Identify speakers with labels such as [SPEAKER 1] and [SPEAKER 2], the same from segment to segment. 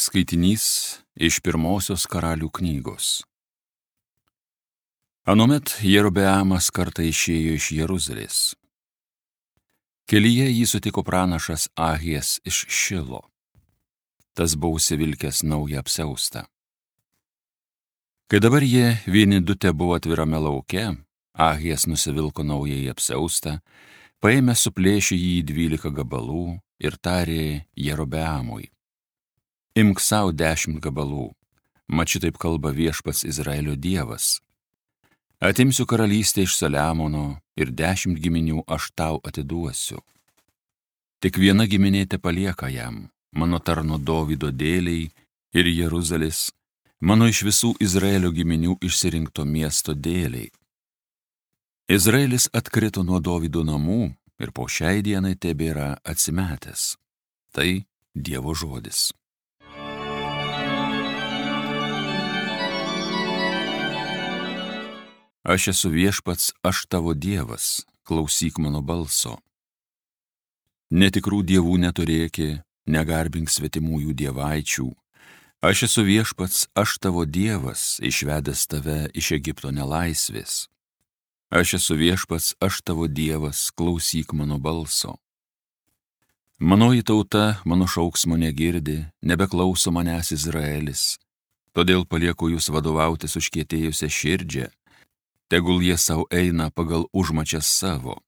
[SPEAKER 1] Skaitinys iš pirmosios Karalių knygos. Anuomet Jerobeamas kartą išėjo iš Jeruzalės. Kelyje jį sutiko pranašas Ahijas iš Šilo. Tas buvo užsivilkęs naują apsiaustą. Kai dabar jie vieni du tebuvo atvirame lauke, Ahijas nusivilko naująjį apsiaustą, paėmė suplėšė jį į 12 gabalų ir tarė Jerobeamui: Imk sau 10 gabalų, mat šitaip kalba viešpats Izraelio Dievas. Atimsiu karalystę iš Saliamono ir 10 giminių aš tau atiduosiu. Tik viena giminė tepalieka jam, mano tarno Dovydo dėliai ir Jeruzalės, mano iš visų Izraelio giminių išsirinkto miesto dėliai. Izraelis atkrito nuo Dovydo namų ir po šiai dienai tebėra atsimetęs. Tai Dievo žodis. Aš esu viešpats, aš tavo Dievas, klausyk mano balso. Netikrų dievų neturėki, negarbink svetimųjų dievaičių. Aš esu viešpats, aš tavo Dievas, išvedęs tave iš Egipto nelaisvės. Aš esu viešpats, aš tavo Dievas, klausyk mano balso. Manoji tauta mano šauksmo negirdi, nebeklauso manęs Izraelis, todėl palieku jūs vadovautis užkietėjusią širdžią, tegul jie savo eina pagal užmačias savo.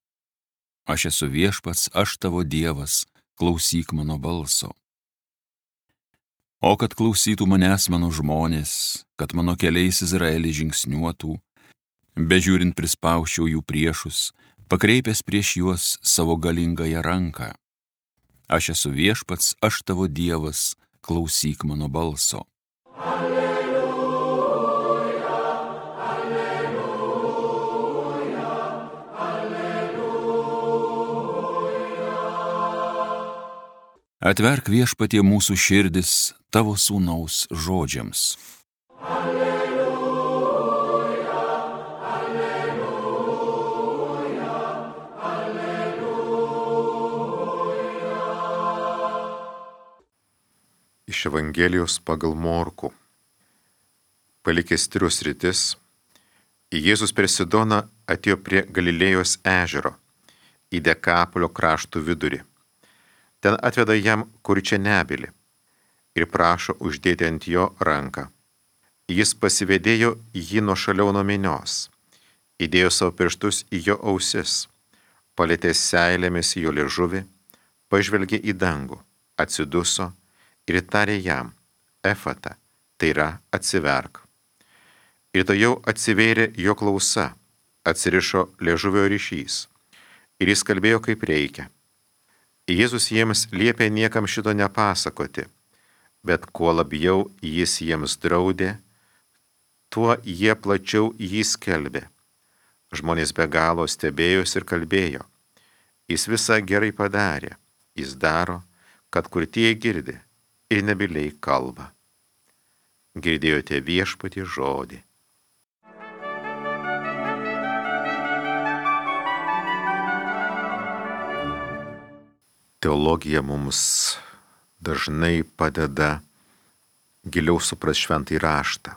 [SPEAKER 1] Aš esu viešpats, aš tavo Dievas, klausyk mano balso. O kad klausytų manęs mano žmonės, kad mano keliais Izraelį žingsniuotų, bežiūrint prispausčiau jų priešus, pakreipęs prieš juos savo galingąją ranką. Aš esu viešpats, aš tavo Dievas, klausyk mano balso. Atverk viešpatie mūsų širdis tavo sūnaus žodžiams.
[SPEAKER 2] Alleluja, alleluja, alleluja.
[SPEAKER 3] Iš Evangelijos pagal Morkų. Palikęs Tiro sritis, Jėzus per Sidoną atėjo prie Galilėjos ežero, į Dekapolio kraštų vidurį. Ten atveda jam kurčianebylį ir prašo uždėti ant jo ranką. Jis pasivedėjo jį nuošaliau nuo minios, įdėjo savo pirštus į jo ausis, palietė seilėmis jo liežuvį, pažvelgė į dangų, atsiduso ir tarė jam: Efata, tai yra atsiverk. Ir to jau atsivėrė jo klausa, atsirišo liežuvio ryšys ir jis kalbėjo kaip reikia. Jėzus jiems liepė niekam šito nepasakoti, bet kuo labiau jis jiems draudė, tuo jie plačiau jį skelbė. Žmonės be galo stebėjosi ir kalbėjo: Jis visą gerai padarė, jis daro, kad kurtieji girdi ir nebyliai kalba. Girdėjote viešpatie žodį. Teologija mums dažnai padeda giliau suprasti šventąjį raštą.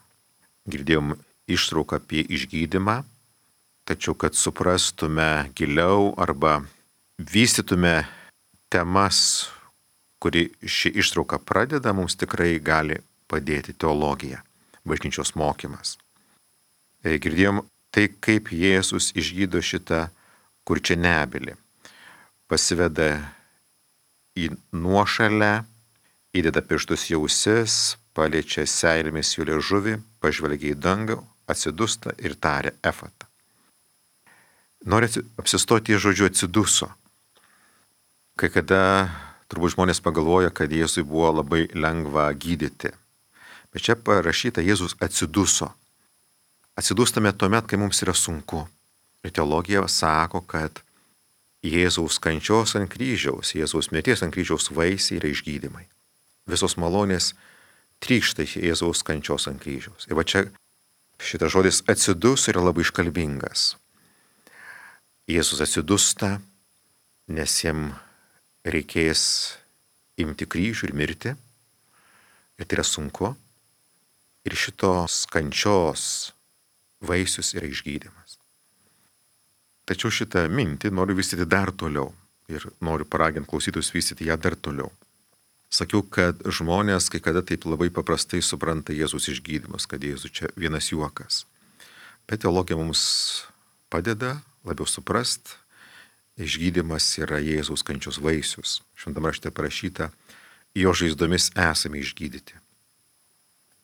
[SPEAKER 3] Girdėjom ištrauką apie išgydymą, tačiau kad suprastume giliau arba vystytume temas, kuri ši ištrauka pradeda, mums tikrai gali padėti teologija, bažnyčios mokymas. Girdėjom tai, kaip Jėzus išgydo šitą kurčianebylį. Pasiveda į nuošalę, įdeda pirštus į ausis, paliečia seilėmis jų liežuvį, pažvelgia į dangų, atsidusta ir taria Efata. Noriu apsistoti į žodžiu atsiduso. Kai kada turbūt žmonės pagalvoja, kad Jėzui buvo labai lengva gydyti. Bet čia parašyta, Jėzus atsiduso. Atsidustame tuomet, kai mums yra sunku. Ir teologija sako, kad Jėzaus kančios ant kryžiaus, Jėzaus mirties ant kryžiaus vaisiai yra išgydymai. Visos malonės trykšta iš Jėzaus kančios ant kryžiaus. Ir va čia šitas žodis atsidus yra labai iškalbingas. Jėzus atsidusta, nes jam reikės imti kryžių ir mirti. Ir tai yra sunku. Ir šitos kančios vaisius yra išgydymas. Tačiau šitą mintį noriu vystyti dar toliau. Ir noriu paraginti klausytojus vystyti ją dar toliau. Sakiau, kad žmonės kai kada taip labai paprastai supranta Jėzus išgydymus, kad Jėzus čia vienas juokas. Bet teologija mums padeda labiau suprast, išgydymas yra Jėzaus kančios vaisius. Šventame rašte parašyta, jo žaizdomis esame išgydyti.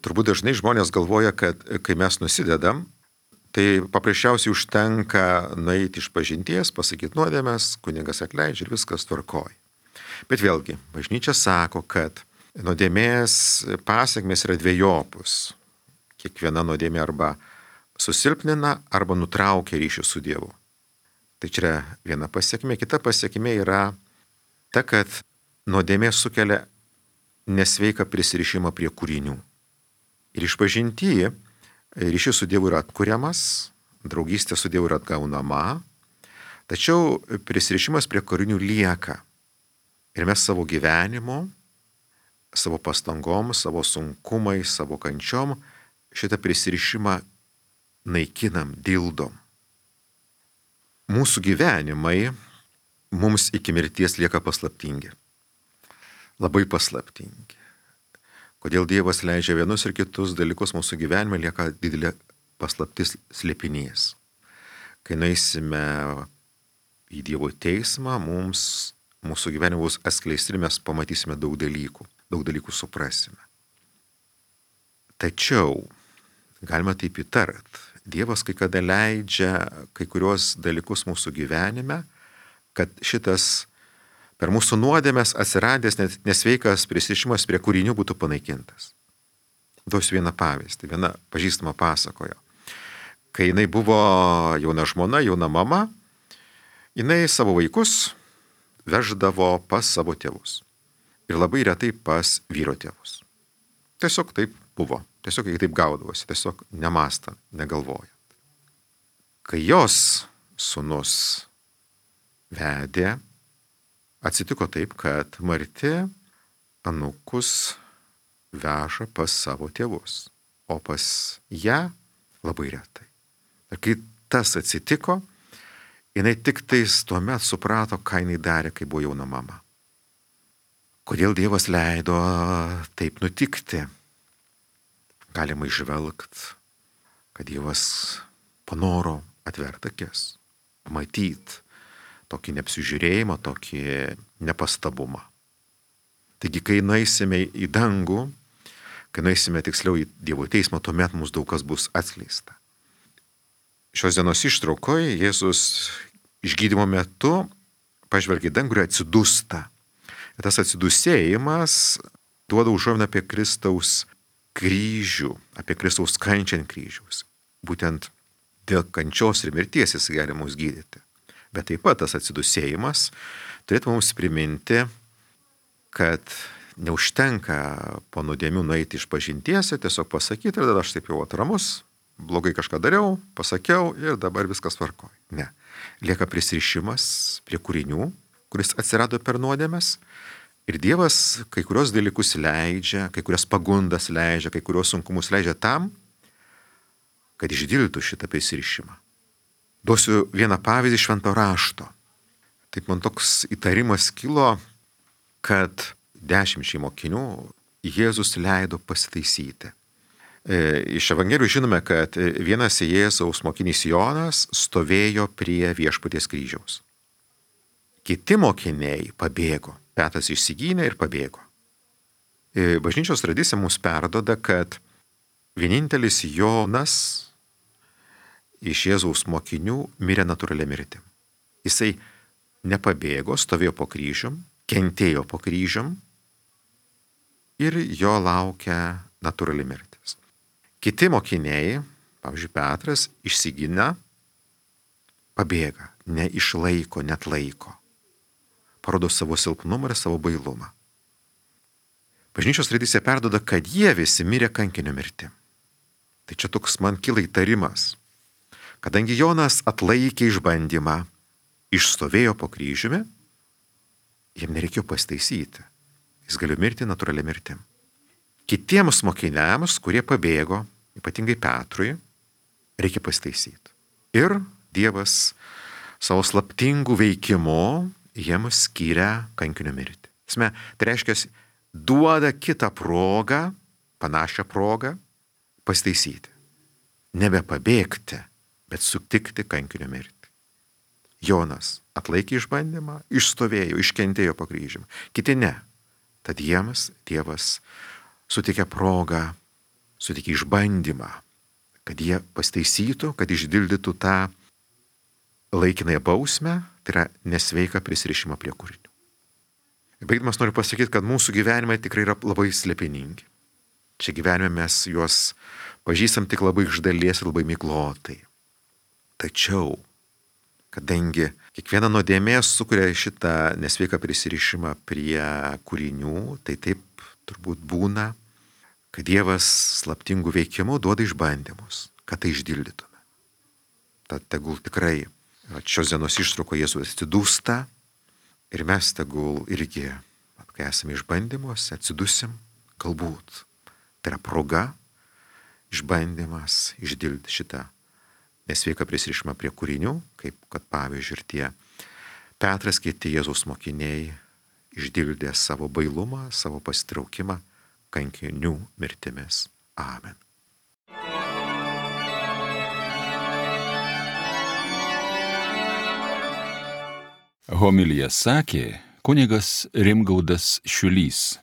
[SPEAKER 3] Turbūt dažnai žmonės galvoja, kad kai mes nusidedam, tai paprasčiausiai užtenka nueiti iš pažinties, pasakyti nuodėmes, kunigas atleidžia ir viskas tvarkoj. Bet vėlgi, bažnyčia sako, kad nuodėmės pasekmės yra dvejopus. Kiekviena nuodėmė arba susilpnina, arba nutraukia ryšį su Dievu. Tai čia yra viena pasekmė. Kita pasekmė yra ta, kad nuodėmė sukelia nesveiką prisirišimą prie kūrinių. Ir išpažinty ryšys su Dievu yra atkuriamas, draugystė su Dievu yra atgaunama, tačiau prisirišimas prie kūrinių lieka. Ir mes savo gyvenimu, savo pastangom, savo sunkumais, savo kančiom šitą prisirišimą naikinam, dildom. Mūsų gyvenimai mums iki mirties lieka paslaptingi. Labai paslaptingi. Kodėl Dievas leidžia vienus ir kitus dalykus mūsų gyvenime, lieka didelė paslaptis slėpinys. Kai nueisime į Dievo teismą, mūsų gyvenime bus atskleisti ir mes pamatysime daug dalykų suprasime. Tačiau, galima taip įtart, Dievas kai kada leidžia kai kurios dalykus mūsų gyvenime, kad šitas per mūsų nuodėmes atsiradęs nesveikas prisirišimas prie kūrinių būtų panaikintas. Duosiu vieną pavyzdį, viena pažįstama pasakojo. Kai jinai buvo jauna žmona, jauna mama, jinai savo vaikus veždavo pas savo tėvus. Ir labai retai pas vyro tėvus. Tiesiog taip buvo. Tiesiog jie taip gaudavosi, tiesiog nemastant, negalvojant. Kai jos sūnus vedė, atsitiko taip, kad Marti anūkus veža pas savo tėvus, o pas ją labai retai. Ir kai tas atsitiko, jinai tik tais tuomet suprato, ką jinai darė, kai buvo jauna mama. Kodėl Dievas leido taip nutikti? Galima išvelgti, kad Dievas panoro atverti akis, matyti tokį neapsižiūrėjimą, tokį nepastabumą. Taigi, kai nueisime į dangų, kai nueisime tiksliau į Dievo teismą, tuomet mums daug kas bus atskleista. Šios dienos ištraukoje Jėzus išgydymo metu pažvelgia į dangų ir atsidūsta. Ir tas atsidūsėjimas duoda užuominą apie Kristaus kryžių, apie Kristaus kančią ant kryžiaus. Būtent dėl kančios ir mirties jis gali mus gydyti. Bet taip pat tas atsidūsėjimas turėtų mums priminti, kad neužtenka po nuodėmių nueiti iš pažinties ir tiesiog pasakyti, ir tada aš taip jau atramus, blogai kažką dariau, pasakiau ir dabar viskas tvarkoj. Ne. Lieka prisirišimas prie kūrinių, kuris atsirado per nuodėmes. Ir Dievas kai kurios dalykus leidžia, kai kurias pagundas leidžia, kai kurios sunkumus leidžia tam, kad išdildytų šitą prisirišimą. Duosiu vieną pavyzdį Švento rašto. Taip man toks įtarimas kilo, kad 10 mokinių Jėzus leido pasitaisyti. Iš Evangelijų žinome, kad vienas Jėzaus mokinys Jonas stovėjo prie Viešpaties kryžiaus. Kiti mokiniai pabėgo. Petras išsigynė ir pabėgo. Bažnyčios tradicija mums perduoda, kad vienintelis Jonas iš Jėzaus mokinių mirė natūralia mirtim. Jisai nepabėgo, stovėjo po kryžium, kentėjo po kryžium ir jo laukia natūrali mirtis. Kiti mokiniai, pavyzdžiui Petras, išsigina, pabėga, neišlaiko, netlaiko. Parodo savo silpnumą ir savo bailumą. Bažnyčios tradicija perduoda, kad jie visi mirė kankinio mirtim. Tai čia toks man kyla įtarimas. Kadangi Jonas atlaikė išbandymą, išstovėjo po kryžiumi, jam nereikėjo pasitaisyti. Jis galėjo mirti natūralia mirtim. kitiems mokiniams, kurie pabėgo, ypatingai Petrui, reikia pasitaisyti. Ir Dievas savo slaptingų veikimu jiems skiria kankinio mirtį. Tai reiškia, duoda kitą progą, panašią progą, pasitaisyti. Nebepabėgti, bet sutikti kankinio mirtį. Jonas atlaikė išbandymą, išstovėjo, iškentėjo po kryžiumi. Kiti ne. Tad jiems Dievas sutikė progą, sutikė išbandymą, kad jie pastaisytų, kad išdildytų tą laikinąją bausmę, tai yra nesveiką prisirišimą prie kūrinių. Baigdamas noriu pasakyti, kad mūsų gyvenimai tikrai yra labai slėpiningi. Čia gyvenime mes juos pažįstam tik labai iš dalies ir labai miglotai. Tačiau, kadangi kiekviena nuodėmė sukuria šitą nesveiką prisirišimą prie kūrinių, tai taip turbūt būna, kad Dievas slaptingų veikimų duoda išbandymus, kad tai išdildytume. Tad tegul tikrai šios dienos ištrauko Jėzus atsidūsta ir mes tegul irgi, kai esame išbandymuose, atsidusim, galbūt. Tai yra proga, išbandymas išdildyti šitą nesveiką prisirišimą prie kūrinių, kaip kad pavyzdžiui ir tie Petras, kiti Jėzaus mokiniai išdildė savo bailumą, savo pasitraukimą kankinių mirtimis. Amen.
[SPEAKER 1] Homiliją sakė kunigas Rimgaudas Šiulys.